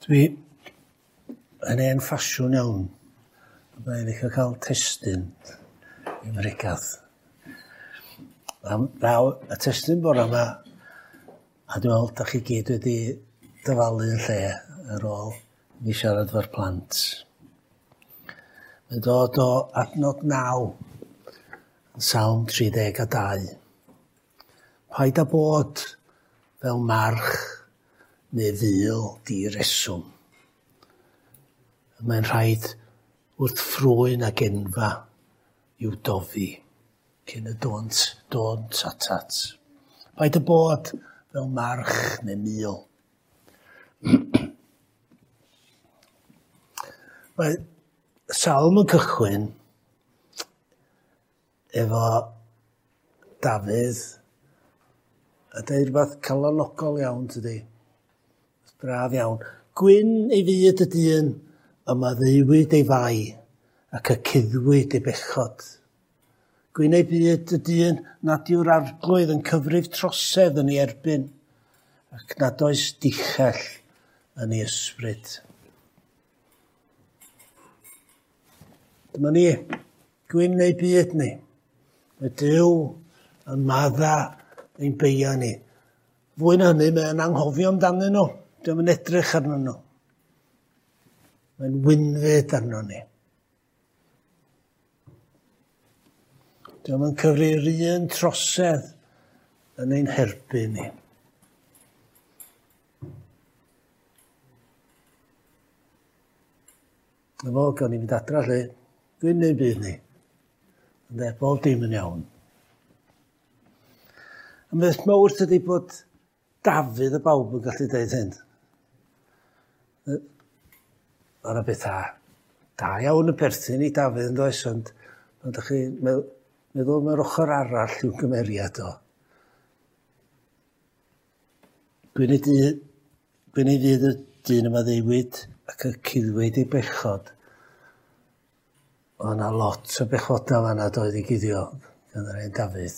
Dwi yn hen ffasiwn iawn. Mae'n licio cael testun i mregath. Naw, y testun bore yma, a dwi'n meddwl da chi gyd wedi dyfalu yn lle ar ôl mi siarad efo'r plant. Mae'n dod o adnod 9, yn Salm 32. Paid â bod fel march neu ful di-reswm. Mae'n rhaid wrth ffrwyn ag enfra i'w dofi cyn y dont atat. Paid â bod fel march neu mul. Mae Salm yn cychwyn efo Dafydd a deud rhywbeth calonogol iawn, tydi? Braf iawn. Gwyn ei fyd y dyn, y maddeuwyd ei fai, ac y cuddwyd ei bechod. Gwyn ei byd y dyn nad yw'r arglwydd yn cyfrif trosedd yn ei erbyn, ac nad oes dichell yn ei ysbryd. Dyma ni, gwyn ei byd ni. Mae Duw yn madda ein beia ni. Fwy na hynny, mae'n anghofio amdanyn nhw. Dio'm yn edrych arnyn nhw. Mae'n wynfyd arno ni. Dio'm yn cyfri'r un trosedd yn ein herbyn ni. Na fo, gawn ni fynd adra lle. Gwyn neu'n byd ni. Ynde, bob dim yn iawn. A beth mawr tydi bod Dafydd y bawb yn gallu deud hyn. Mae yna bethau da iawn yn perthyn i Dafydd yn does, ond ydych chi'n meddwl mae'r ochr arall i'w gymeriad o. Gwyn ei fydd y dyn yma ddeuwyd ac y cuddwyd ei bechod. Oedd yna lot o bechodau fan'na doedd i guddio gan yr hen Dafydd.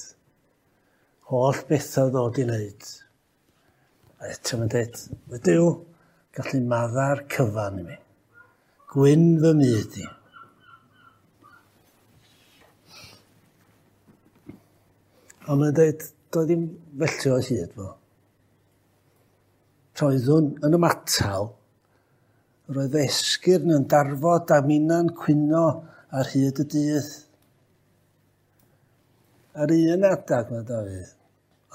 Holl bethau ddod i wneud. A eto mae'n dweud, mae Duw gallu madda'r cyfan i mi. Gwyn fy myd i. Ond mae'n dweud, doedd ddim felly o hyd fo. Roeddwn yn ymatal, roedd esgyrn yn darfod a minna'n cwyno ar hyd y dydd. Ar un adag, mae Dafydd,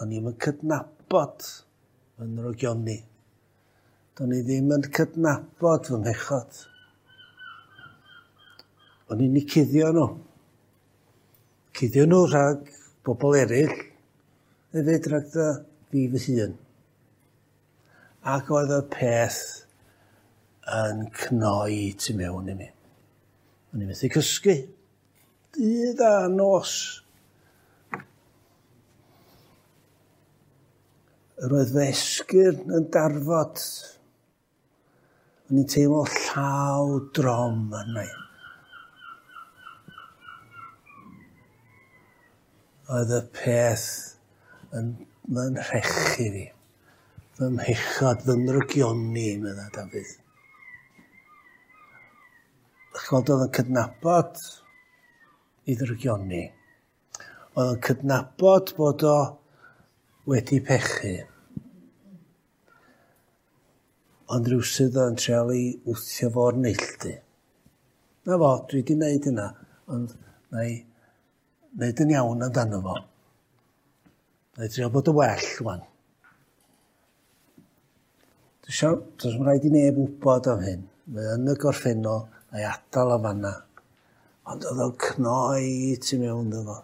o'n i'm yn cydnabod fy nrogioni. Do'n i ddim yn cydnabod fy mhechod. O'n i'n eu cuddio nhw. Cuddio nhw rhag bobl eraill, hefyd rhag fi fy hun. Ac oedd y peth yn cnoi tu mewn i mi. O'n i'n methu cysgu. Dydd a nos. Yr oedd fy esgyrn yn darfod. O'n i'n teimlo llaw drom arna i. Oedd y peth yn rhechu fi. Fy mhechod, fy nrygioni, medda Dafydd. Dach chi'n gweld, oedd yn cydnabod ei ddrygioni. Oedd yn cydnabod bod o wedi pechu. Ond rhywsut oedd yn treial i wthio fo'r neilltu. Na fo, dwi wedi wneud hynna, ond na i wneud yn iawn amdano fo. Na i drio bod yn well, wan. Does rhaid i neb wybod am hyn. Mae yn y gorffennol, na i adael o fanna. Ond oedd o'n cnoi tu mewn iddo fo,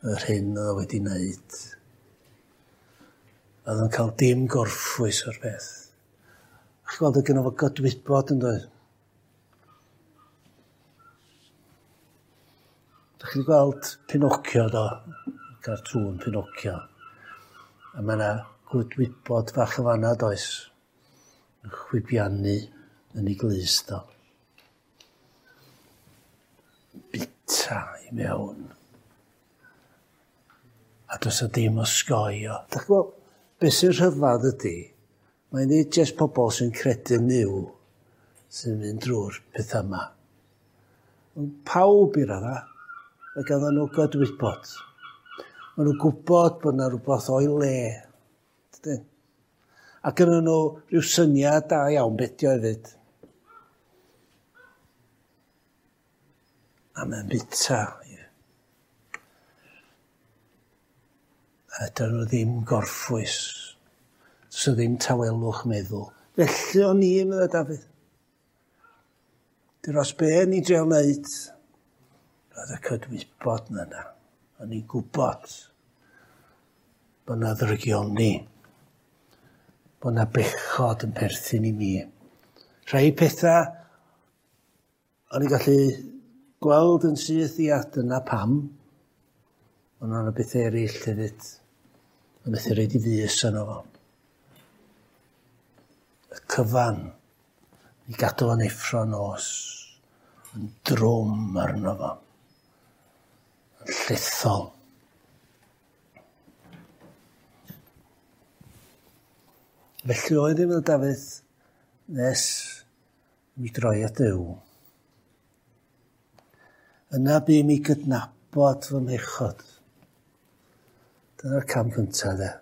yr hyn oedd o wedi wneud. Oedd o'n cael dim gorffwys o'r peth. A chi'n gweld, oedd gynno fo gydwybod yn doedd. Dach chi wedi gweld Pinocchio do? Cartŵn Pinocchio. A mae yna gydwybod fach o fanna does. Yn chwibiannu yn ei glust o. Bita i mewn. A does o dim osgoi o. Dach chi'n gweld, beth sy'n rhyfedd ydy, Mae'n nid jyst pobl sy'n credu yn Nuw sy'n mynd drwy'r pethau yma. Ond pawb i radda, mae ganddyn nhw gydwybod. Maen nhw'n gwybod bod yna rhywbeth o'i le. Dydyn? A gynnon nhw rhyw syniad da iawn beth 'di o hefyd. A mae'n bita. A dyn nhw ddim gorffwys. So ddim tawelwch meddwl. Felly o'n i, meddai Dafydd. Dros be o'n i'n drio wneud, roedd y cydwybod 'na yna. O'n i'n gwybod bod 'na ddrygioni, bod 'na bechod yn perthyn i mi. Rhai pethau o'n i'n gallu gweld yn syth, ia, dyna pam. Ond o'na bethau eraill hefyd. O'n methu roid i fys arno fo. Y cyfan i gadw fo'n effro nos, yn drwm arno fo, yn llethol. Felly oedd ddim yn Dafydd nes i mi droi at Dduw. Yna bu i mi gydnabod fy mhechod. Dyna'r cam cyntaf de.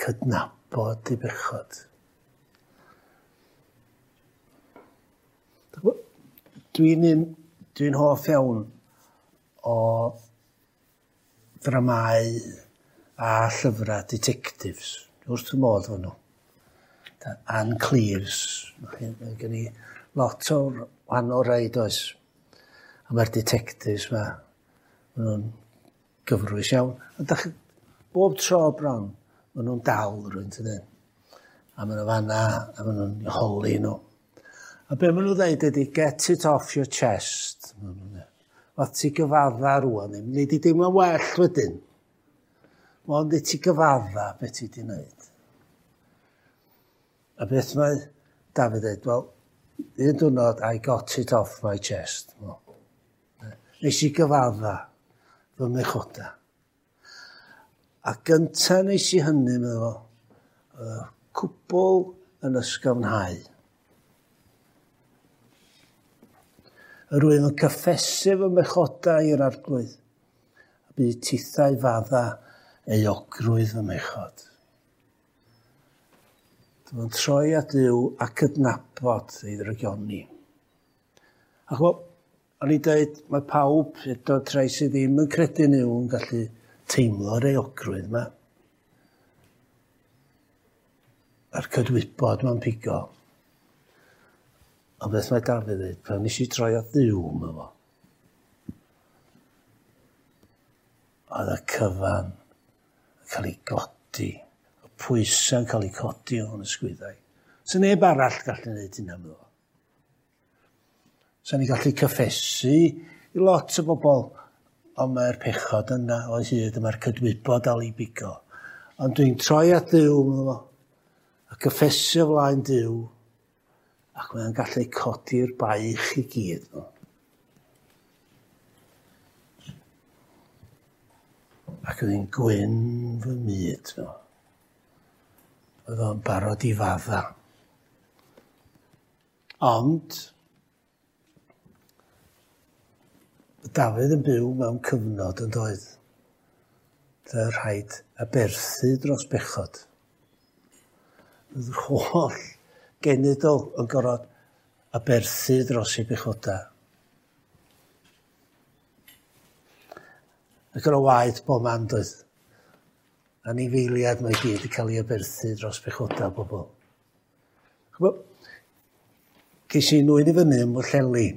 Cydnabod i bechod. Dwi'n dwi hoff iawn o ddramâu a llyfrau detectives. Wrth fy modd efo nhw. Ann Cleeves. Mae gen i lot o wahanol rai, does. A mae'r detectives ma, maen nhw'n gyfrwys iawn. Ond dach, bob tro bron, maen nhw'n dal rhywun, tydyn. A maen nhw fanna, a maen nhw'n holi nhw. A be maen nhw'n dweud ydy, get it off your chest. Wel, ti gyfadda rwan, neu di deimlo'n well wedyn. Mond i ti gyfadda beth ti di wneud. A beth mae Dafydd dweud, wel, un diwrnod, I got it off my chest. Well, nes i gyfadda fy mhechoda. A gynta nes i hynny, meddwl fo, oedd y cwbl yn ysgafnhau. Yr wyf yn cyffesu fy mhechoda i'r Arglwydd, a bu tithau fadda euogrwydd fy mhechod. Dwi'n troi at Dduw a cydnabod ei ddrygioni. Ac wel, o'n i'n dweud, mae pawb, hyd yn rhai sydd ddim yn credu yn Nuw, yn gallu teimlo'r euogrwydd yma. A'r cydwybod ma'n pigo. Ond beth mae Dafydd dweud, pan nes i troi at Dduw, mae fo. Oedd y cyfan yn cael ei godi, y pwysau'n cael ei codi o'n ysgwyddau. So neb arall gallu gwneud hynna, meddwl. So ni'n gallu cyffesu i lot o bobl, ond mae'r pechod yna o hyd, mae'r cydwybod dal i bigo. Ond dwi'n troi at Dduw, meddwl, a cyffesu o flaen Duw, ac mae'n gallu codi'r baich i gyd. Ac oedd hi'n gwyn fy myd. Oedd o'n barod i fadda. Ond, Dafydd yn byw mewn cyfnod yn doedd. Lle rhaid aberthu dros bechod. Oedd yr holl genedl yn gorfod aberthu dros ei bechoda. Ac yn o waed bob man doedd. Anifeiliad mae gyd yn cael ei aberthu dros bechoda bobl. Ces i nwyn i fyny ym Mhwllheli.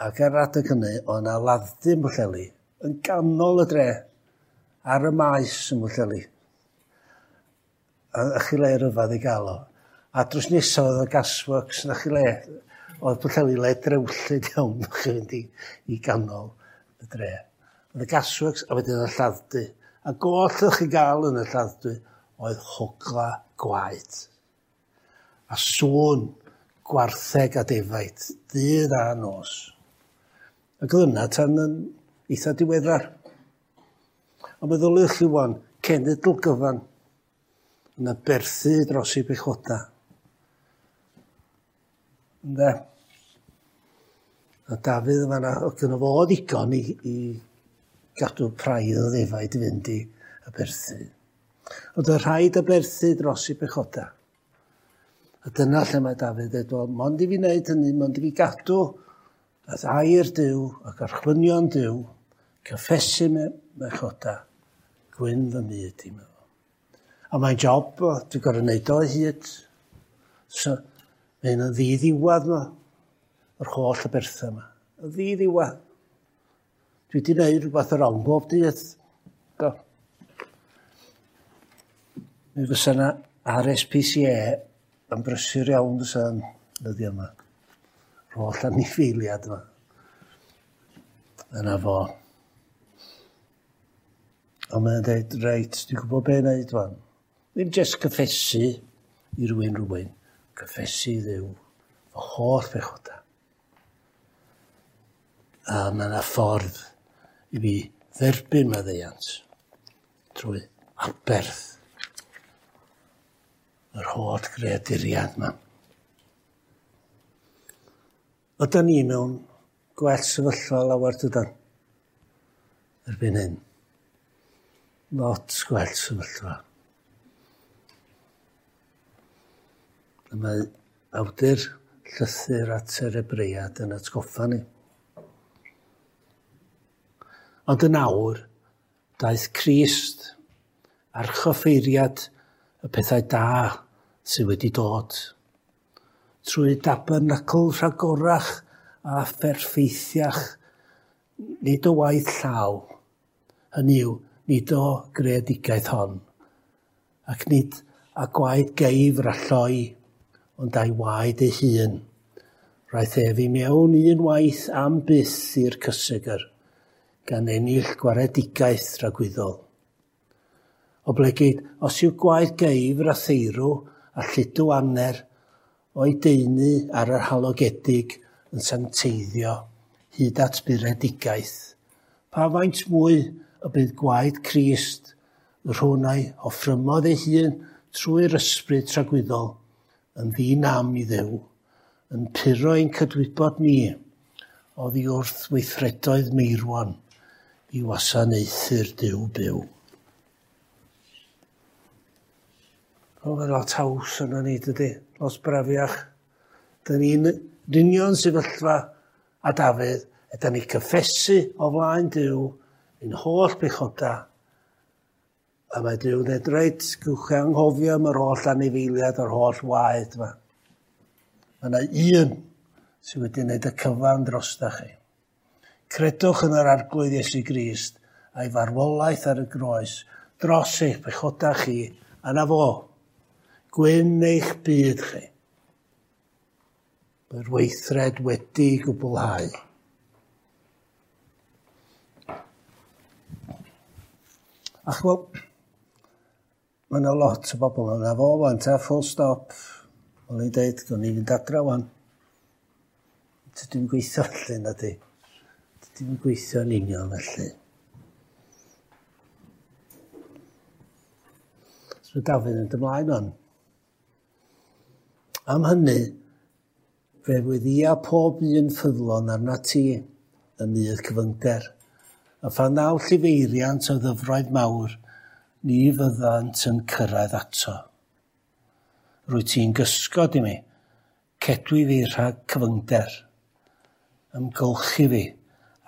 Ac ar adeg hynny, oedd yna ladd-dy ym Mhwllheli, yn ganol y dre, ar y maes ym Mhwllheli. A chi le ryfedd i gael o. A drws nesaf oedd y gasworks, na chi le. Oedd Pwllheli le drewllyd iawn, chi fynd i ganol y dre. Oedd y gasworks, a wedyn y lladd-dy. A goll o'ch chi gael yn y lladd-dy oedd hogla gwaed. A sŵn gwartheg a defaid, dydd a nos. Ac oedd yna tan yn eitha diweddar. Ond meddyliwch chi wan, cenedl gyfan Yn aberthu dros ei bechoda. Ynde? A Dafydd yn fanna, oedd gynno fo ddigon i gadw praidd o ddefaid i fynd i aberthu. Ond oedd rhaid aberthu dros ei bechoda. A dyna lle mae Dafydd dweud, wel, mond i fi wneud hynny, mond i fi gadw at air Duw ac archwynion Duw, cyffesu mechoda, gwyn fy myd i meddwl. A mae'n job, dwi'n gorfod wneud o hyd. So, mae'n yn ddiddiwadd yma, yr holl aberthau yma. Yn ddiddiwadd. Dwi wedi gwneud rhywbeth yr wrong bob dydd. Do. Mi fysa yna RSPCA yn brysur iawn fysa yn dyddiau yma. Yr holl anifeiliad yma. Yna fo. Ond mae'n dweud, reit, dwi'n gwybod be wneud wan. Ddim jyst cyffesu i rywun, cyffesu i Dduw, fy holl bechoda. A mae yna ffordd i fi dderbyn maddeuant trwy aberth yr holl greaduriad yma. Ydan ni mewn gwell sefyllfa lawer dydan erbyn hyn. Lot gwell sefyllfa. A mae awdur llythyr at yr Hebread yn atgoffa ni. Ond yn awr, daeth Crist, archoffeiriad y pethau da sydd wedi dod, trwy dabernacl rhagorach a pherffeithiach, nid o waith llaw, hynny yw, nid o greadigaeth hon, ac nid a gwaed geifr a lloi, ond a'i waed ei hun. Roedd ef i mewn un waith am byth i'r cysegr, gan ennill gwaredigaeth tragwyddol. Oblegid, os yw gwaed geifr a theirw a lludw aner o'i deunu ar yr halogedig yn sancteiddio hyd at buredigaeth, pa faint mwy y bydd gwaed Crist, y rhwn a'i offrymodd ei hun trwy'r ysbryd tragwyddol, yn ddi-nam i Dduw, yn puro ein cydwybod ni oddi wrth weithredoedd meirwon i wasanaethu'r Duw byw. O, mae lot haws yna ni, dydy. Lot brafiach. Dyn ni'n union sefyllfa a Dafydd, ydy ni cyffesu o flaen Duw ein holl bechoda, a mae Duw yn dweud, reit, gwch chi anghofio am yr holl anifeiliad, yr holl waed yma. Mae yna un sydd wedi gwneud y cyfan drosta chi. Credwch yn yr Arglwydd Iesu Grist a'i farwolaeth ar y groes dros eich pechoda chi, a na fo. Gwyn eich byd chi. Mae'r weithred wedi gwblhau. Ac wel, mae yna lot o bobl yna fo wan, ta full stop. O'n i'n deud, gwni i fynd adra wan. Dydw i'n gweithio felly, na di. Dydw i'n gweithio yn union felly. So mae Dafydd yn ymlaen wan. Am hynny, fe weddïa pob un ffyddlon arna ti yn nydd cyfyngder. A phan ddaw llifeiriant o ddyfroedd mawr, ni fyddant yn cyrraedd ato. Rwy ti'n gysgod i mi, cedwi fi rhag cyfyngder, ymgylchu fi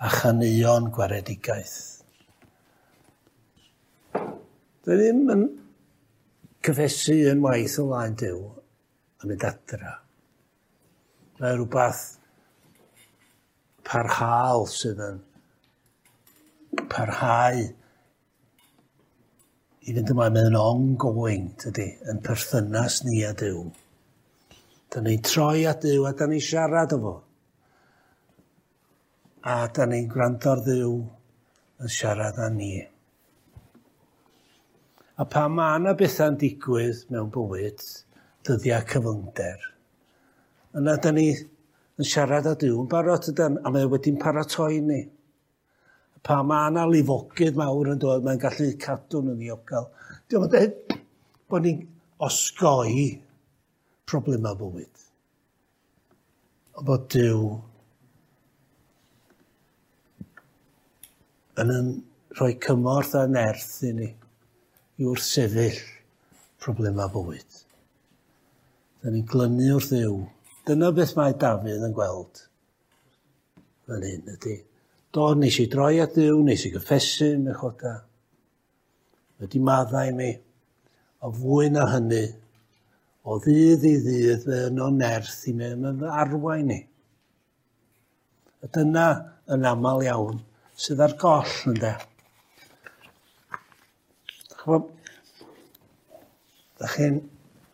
a chaneuon gwaredigaeth. Dwi ddim yn cyffesu yn waith o flaen Duw a mynd adra. Mae rhywbeth parhaol sydd yn parhau i fynd ymlaen, mae'n ongoing, tydi, yn perthynas ni a Duw. Da ni'n troi at Duw a da ni'n siarad efo. A da ni'n gwrando ar Dduw yn siarad â ni. A pan mae yna bethau'n digwydd mewn bywyd, dyddiau cyfyngder, yna da ni yn siarad â Duw yn barod, ydan, a mae wedi'n paratoi ni. Pa mae yna lifogydd mawr yn dod, mae'n gallu cadw nhw'n ddiogel. Diolch yn dweud bod ni'n osgoi problemau bywyd. Ond bod Duw yn rhoi cymorth a nerth i ni i wrthsefyll problemau bywyd. Da ni'n glynu wrth Dduw. Dyna beth mae Dafydd yn gweld fan hyn ydy. Do, nes i droi at Dduw, nes i gyffesu 'mhechoda. Wedi maddau i mi. O fwy na hynny, o ddydd i ddydd, fe yno nerth i mi, mae'n fy arwain i. A dyna yn aml iawn sydd ar goll, ynde. Ch'mo', da chi'n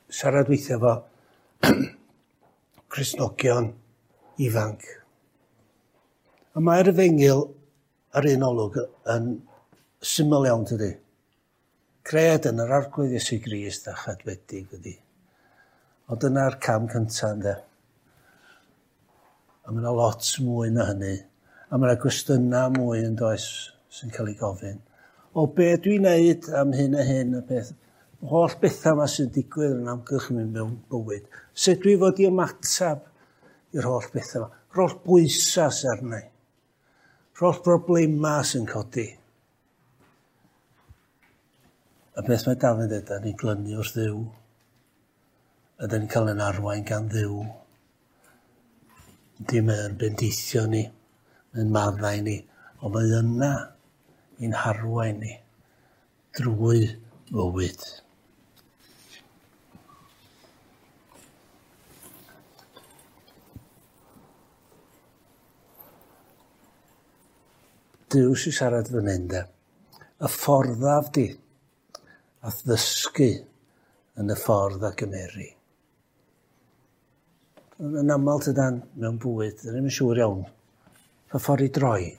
siarad weithiau efo Cristnogion ifanc. A mae'r efengyl ar un olwg yn syml iawn, tydi? Cred yn yr Arglwydd Iesu Grist a chadwedig ydi. Ond dyna'r cam cyntaf, ynde? A mae yna lot mwy na hynny. A mae yna gwestiynau mwy yn does sy'n cael ei gofyn. O be dwi'n neud am hyn a hyn a beth. Holl bethau yma sy'n digwydd yn amgylch mi mewn bywyd. Sut dwi fod i ymateb i'r holl bethau yma? Yr holl bwysau sy'n arna i. Yr holl broblemau sy'n codi. A beth mae Dafydd yn dweud, da ni'n glynu wrth Dduw. A da ni'n cael ein arwain gan Dduw. Ydy, mae'n bendithio ni, mae'n maddau ni, ond mae yna i'n harwain ni drwy fywyd. Duw sy'n siarad fan hyn, de. Y fforddaf di, a ddysgu yn y ffordd a gymeri. Yn aml tydan mewn bywyd, dyn ni'm yn siŵr iawn pa ffordd i droi.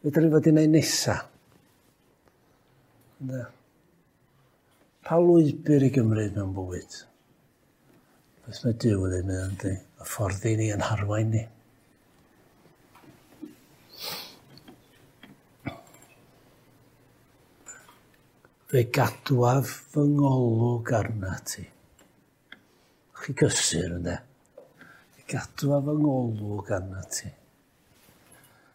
Be dyn ni fod i wneud nesa? Ynde? Pa lwybr i gymryd mewn bywyd? Beth mae Duw yn dweud, mae o'n y ffordd i ni yn harwain ni. Fe gadwaf fy ngolwg arna ti. Chi gysur, ynde? Fe gadwaf fy ngolwg arna ti.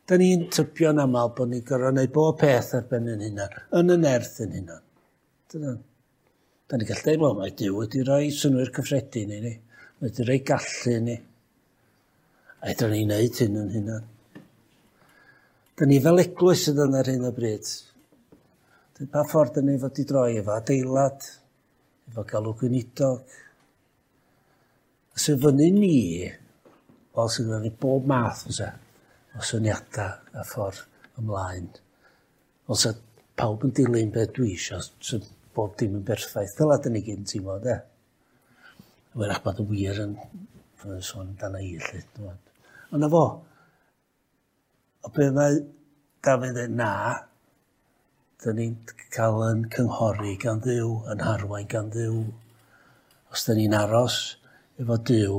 Da ni'n tybio'n aml bod ni'n gorfod gwneud bob peth ar ben ein hunan, yn y nerth ein hunan. Dyna. Da ni'n gallu dweud, wel, mae Duw wedi rhoi synnwyr cyffredin i ni. Mae wedi rhoi gallu i ni. A fedrwn ni wneud hyn yn hunan. Da ni fel eglwys sydd yn ar hyn o bryd. Pa ffordd dyn ni fod i droi efo adeilad, efo galw gweinidog. A sy'n fyny ni, wel, sy'n fyny bob math fysa, o syniadau a ffordd ymlaen. Wel, sa pawb yn dilyn beth dwi isio, so bob dim yn berffaith. Fel ydyn ni gyd yn teimlo, de. Wyrach bod y wir yn sôn amdana i, lle. Ond na fo. O be mae Dafydd yn na, dyn ni'n cael yn cynghori gan Dduw, yn harwain gan Dduw. Os dyn ni'n aros efo Duw,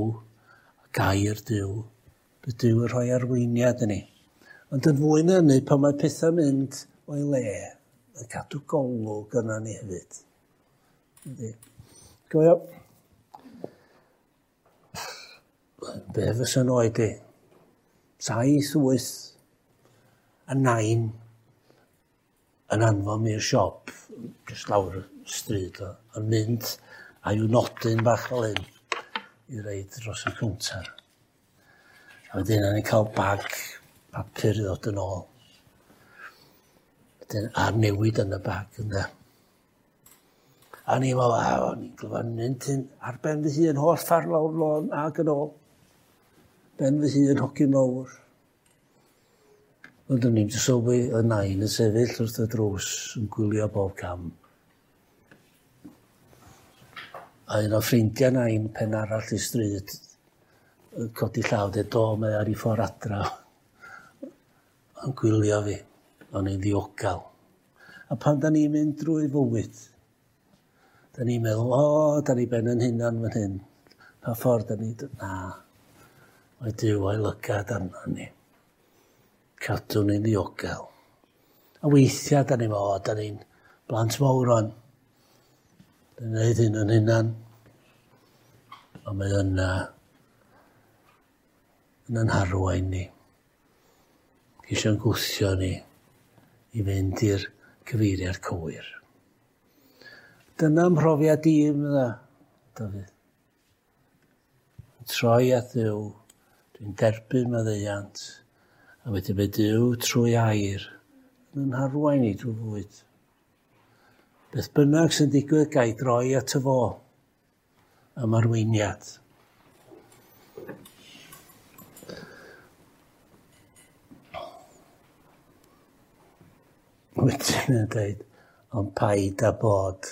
gair Duw, bydd Duw yn rhoi arweiniad i ni. Ond yn fwy na hynny, pan mae pethau'n mynd o'i le, yn cadw golwg yna ni hefyd. Yndi. Gofio, be fysa'n oed i? 7, 8 a 9 yn anfon mi i'r siop, jyst lawr y stryd, yn mynd a i'w nodyn bach fel hyn i reid dros y cownter. A wedyn o'n i'n cael bag papur i ddod yn ôl. Wedyn, a newid yn y bag, ynde. A ni'n meddwl, a o'n i'n glywed mynd hyn ar ben fy hun, holl ffordd lawr lôn ag yn ôl. Ben fy hun, hogyn mawr. Ond o'n i'n sylwi y nain yn sefyll wrth y drws yn gwylio bob cam. A un o ffrindiau nain pen arall i stryd yn codi llaw, dweud, do, mae ar ei ffordd adra. Yn gwylio fi, o'n i'n ddiogel. A pan da ni'n mynd drwy fywyd, da ni'n meddwl, o, da ni ben yn hunan fan hyn. Pa ffordd da ni... Na, mae Duw a'i lygad arno ni. Cadw ni'n ddiogel. A weithiau da ni'n meddwl, o, da ni'n blant mawr o'n. Dwi'n gwneud hyn yn hunan, ond mae yna yn yn harwain ni. Ceisio'n gwthio ni i fynd i'r cyfeiriad cywir. Dyna mhrofiad i, medda Dafydd. Yn troi at Dduw, dwi'n derbyn maddeuant, a wedyn mae Duw trwy air yn yn harwain i drwy fywyd. Beth bynnag sy'n digwydd, ga i droi at y fo am arweiniad. Wedyn yn dweud, ond paid â bod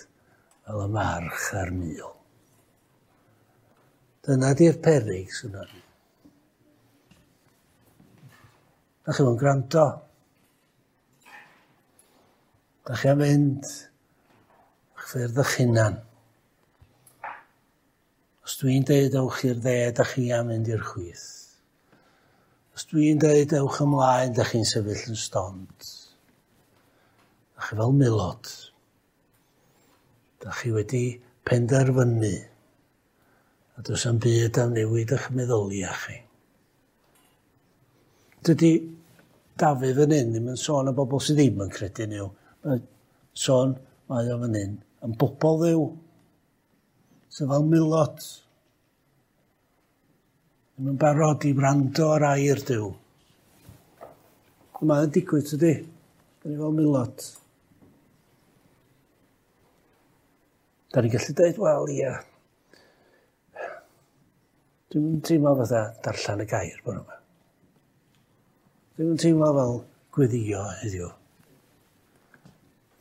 fel y march a'r mul. Dyna di'r peryg sy'n ni. Da chi yn gwrando. Da chi am fynd eich ffyrdd eich hunan. Os dwi'n deud ewch i'r dde, da chi am fynd i'r chwith. Os dwi'n deud ewch ymlaen, da chi'n sefyll yn stond. Da chi fel milod. Da chi wedi penderfynu. A does am byd am newid eich meddyliau chi. Dydy Dafydd fan hyn ddim yn sôn am bobl sydd ddim yn credu Nuw. Mae'n sôn mae o fan hyn am bobl Dduw. Sydd fel milod. Ddim yn barod i wrando ar air Duw. Mae'n digwydd, tydi? Da ni fel milod. Da ni'n gallu dweud, wel, ia, dwi'm yn teimlo fatha darllen y gair bore yma. Dwi'm yn teimlo fel gweddio heddiw.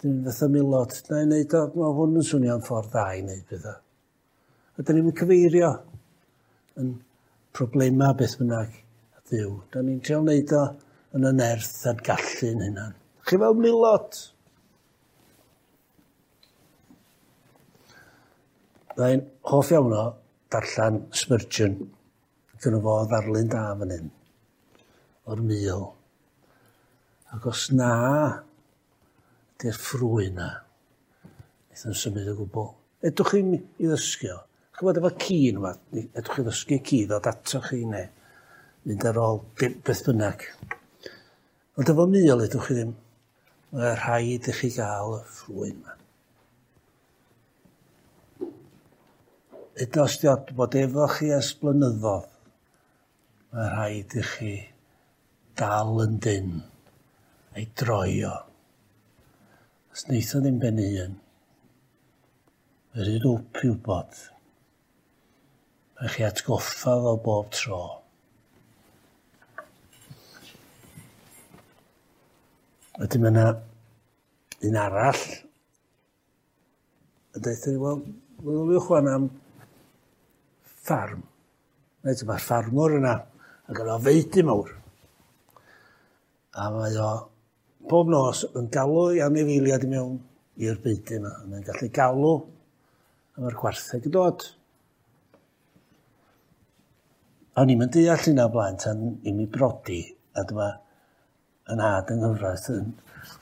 Dwi'n fatha milod, na i wneud o, mae hwn yn swnio'n ffordd dda i wneud pethau. A da ni'n cyfeirio yn problemau beth bynnag a Dduw. Da ni'n trio wneud o yn y nerth a'n gallu'n hunan. Chi fel milod. Mae'n hoff iawn o darllen Spurgeon. Gyda fo ddarlun da fan hyn. O'r mul. Ac os na ydy'r ffrwy na, wnaeth o'n symud o gwbl. Edwch chi'n i ddysgu o. Ch'mod efo ci neu wbath, edwch chi ddysgu ci ddod ato chi neu mynd ar ôl beth bynnag. Ond efo mul edwch chi ddim. Mae rhaid i chi gael y ffrwyn yma. Hyd os di bod efo chi ers blynyddoedd, mae rhaid i chi dal yn dyn a'i droi o. Os wneith o ddim ben ei hun, mae rhy dwp i wybod. Mae chi atgoffa fo bob tro. Wedyn mae yna un arall yn dweud ni, wel, meddyliwch wan am ffarm. Reit, mae'r ffarmwr yna, ac yna feudy mawr. A mae o bob nos yn galw i anifeiliaid i mewn i'r beudy yma. A mae'n gallu galw a mae'r gwartheg yn dod. O'n i'm yn deall hynna o blaen tan i mi brodi, a dyma yn nhad yng nghyfraith yn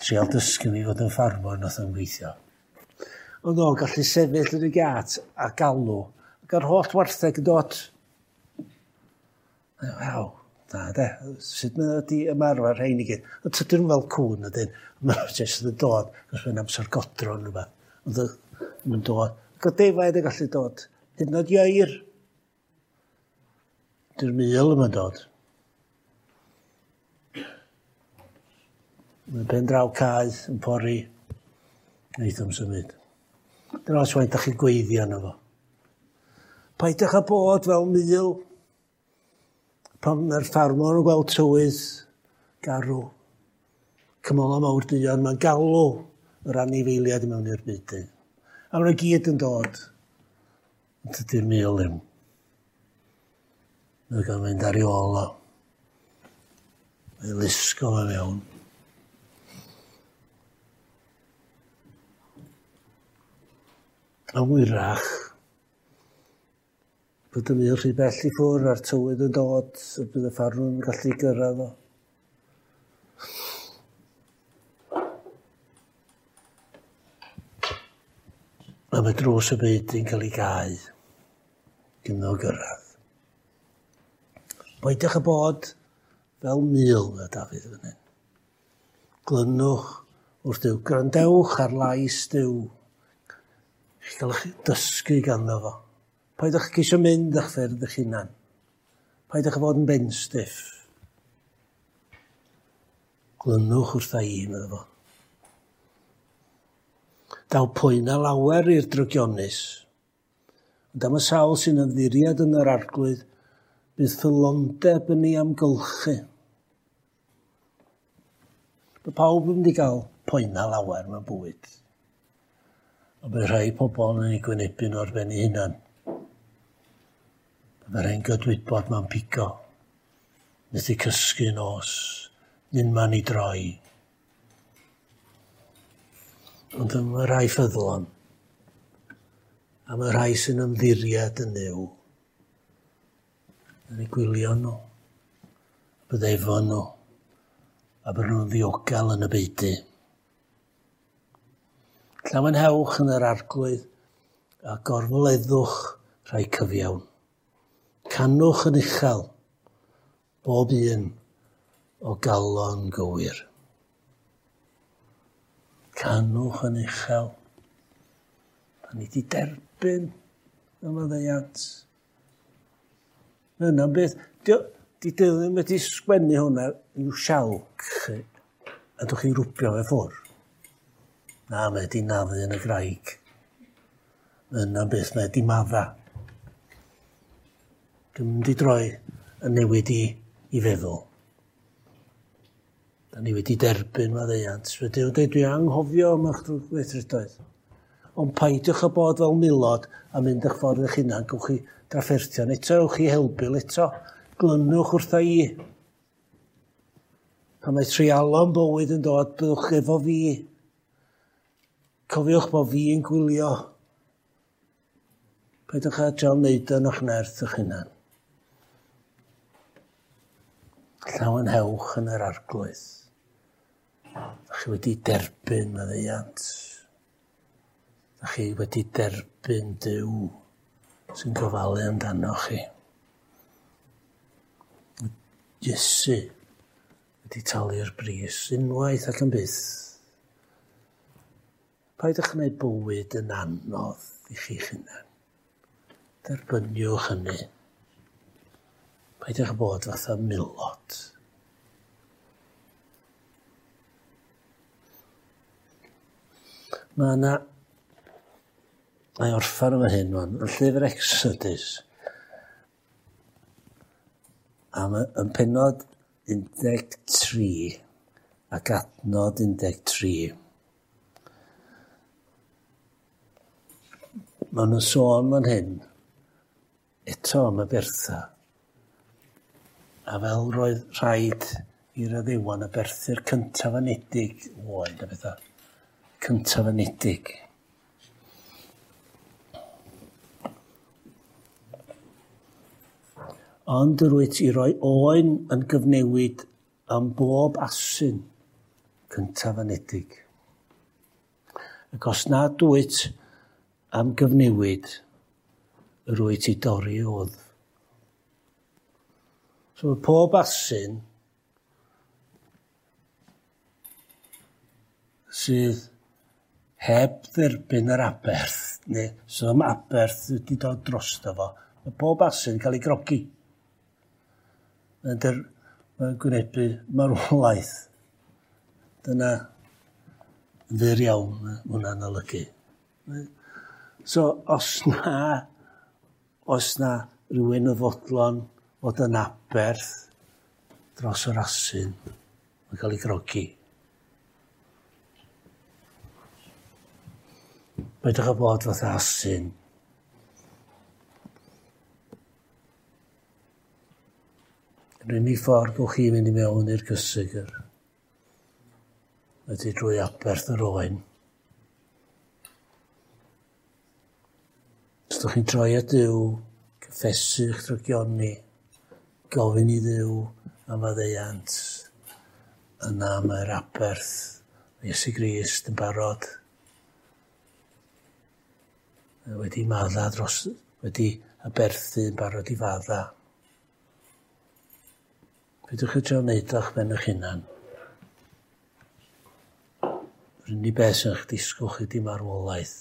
trial dysgu fi fod yn ffarmwr nath o'n gweithio. Ond o'n gallu sefyll yn y giat a galw, ac ar holl wartheg yn dod. Waw, da de, sut mae wedi ymarfer rhain i gyd. Ond tydyn nhw fel cŵn ydyn, maen nhw jyst yn dod, cos mae'n amser godro neu rhywbeth. Ond nhw'n dod. Ac o defaid yn gallu dod, hyd yn oed ieir. Dy'r mul yma'n dod. Mae'n pen draw cae yn pori, wneith o'm symud. Dyna os faint ydych chi'n gweiddi arno fo. Paidiwch â bod fel mul pan mae'r ffarmwr yn gweld tywydd garw, cymylau mawr duon, mae'n galw yr anifeiliaid i mewn i'r beudy. A maen nhw gyd yn dod. Ond tydi'r mul ddim. Mae'n gael mynd ar ei ôl o. Mae'n lusgo fo mewn. A wyrach, bod y mul rhy bell i ffwrdd a'r tywydd yn dod, a bydd y ffarmwr yn gallu gyrraedd o. A A mae drws y byd yn cael ei gau gynno gyrraedd. Peidiwch â bod fel mul, mae Dafydd fan hyn. Glynwch wrth Duw. Gwrandewch ar lais Duw. Chi gael eich dysgu ganddo fo. Peidiwch ceisio mynd eich ffyrdd eich hunan. Peidiwch â bod yn benstiff. Glynwch wrtha i, meddwl fo. Daw poena lawer i'r drygionus. Ond am y sawl sy'n ymddiried yn yr Arglwydd, bydd ffyddlondeb yn ei amgylchu. Mae pawb yn mynd i gael poena lawer mewn bywyd. Ond bydd rhai pobl yn ei gwynebu nhw ar ben eu hunan. Mae rhai'n gydwybod mewn pigo. Methu cysgu nos, unman i droi. Ond mae rhai ffyddlon, a mae rhai sy'n ymddiried yn Nuw, yn eu gwylio nhw, bydd efo nhw, a bydden nhw'n ddiogel yn y beudy. Llawenhewch yn yr Arglwydd a gorfoleddwch rhai cyfiawn. Canwch yn uchel, bob un o galon gywir. Canwch yn uchel. Da ni wedi derbyn y maddeuant. Mae hynna'n beth. Di Duw ddim wedi sgwennu hwnna i'w sialc chi, a dwch chi rwbio fe ffwr. Na, mae wedi naddu yn y graig. Mae hynna'n beth, mae wedi madda. Dwi'n mynd i droi yn newid i feddwl. Da ni wedi derbyn maddeuant. Mae Duw yn dweud, dwi anghofio am eich drwgweithredoedd. Ond peidiwch â bod fel milod a mynd eich ffordd eich hunan. Gewch chi drafferthion eto, ewch chi helbul eto. Glynwch wrtha i. Pan mae treialon bywyd yn dod, byddwch efo fi. Cofiwch bod fi yn gwylio. Peidiwch â trio wneud yn eich nerth eich hunan. Llawenhewch yn yr Arglwydd. Da chi wedi derbyn maddeuant. Da chi wedi derbyn Duw sy'n gofalu amdano chi. Iesu wedi talu'r bris unwaith ac yn byth. Paid â gwneud bywyd yn anodd i chi'ch hunan. Derbyniwch hynny. Peidiwch â bod fatha milod. Mae yna... Mae orffan efo hyn, wan, yn llyfr Exodus. A mae yn pennod 13 ac adnod 13. Maen nhw'n sôn fan hyn eto am y bertha. A fel roedd rhaid i'r addewon aberthu'r cyntaf anedig oen a bethau. Cyntaf anedig. Ond yr wyt i roi oen yn gyfnewid am bob asyn cyntaf anedig. Ac os nad wyt am gyfnewid, yr wyt i dorri wddf. So mae pob asyn sydd heb dderbyn yr aberth, neu sydd am aberth wedi dod drosto fo, mae pob asyn yn cael ei grogi. Mae'n gwynebu marwolaeth. Dyna yn fyr iawn mae hwnna'n olygu. So, os na rhywun yn fodlon fod yn aberth dros yr asyn, mae'n cael ei grogi. Peidiwch â bod fatha asyn. Yr unig ffordd gewch chi fynd i mewn i'r cysegr ydy drwy aberth yr oen. Os ydych chi'n troi at Dduw, cyffesu eich drygioni, gofyn i Dduw am faddeuant, yna mae'r aberth Iesu Grist yn barod. Wedi madda dros, wedi aberthu yn barod i fadda. Peidiwch â trio wneud o'ch ben eich hunan. Yr unig beth sy'n eich disgwyl chi 'di marwolaeth.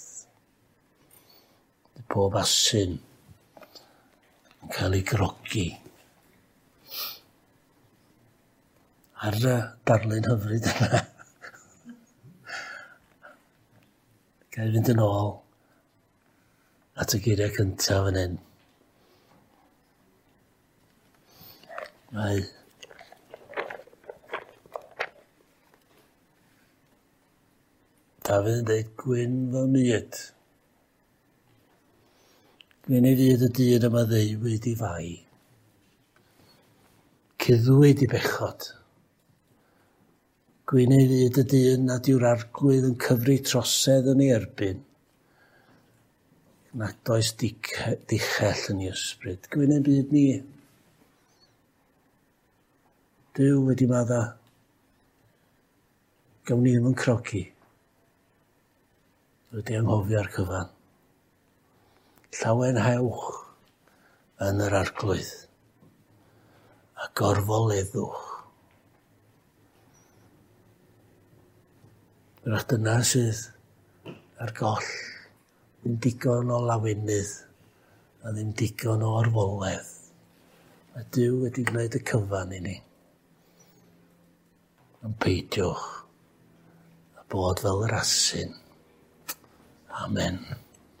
Pob asyn yn cael ei grogi. Ar y darlun hyfryd yna, ga i fynd yn ôl at y geiriau cyntaf fan hyn. Mae Dafydd yn dweud, gwyn fy myd. Gwyn ei fyd y dyn yma ddeuwyd i fai. Cuddwyd i bechod. Gwyn ei fyd y dyn nad yw'r arglwydd yn cyfri trosedd yn ei erbyn. Nad oes dichell yn ei ysbryd. Gwyn ein byd ni. Duw wedi madda. Gawn ni ddim yn crogi. Wedi anghofio'r cyfan. Llawenhewch yn yr arglwydd a gorfoleddwch. Wrach dyna sydd ar goll, ddim digon o lawenydd a ddim digon o orfoledd. Mae Duw wedi gwneud y cyfan i ni. Ond peidiwch a bod fel yr asyn. Amen.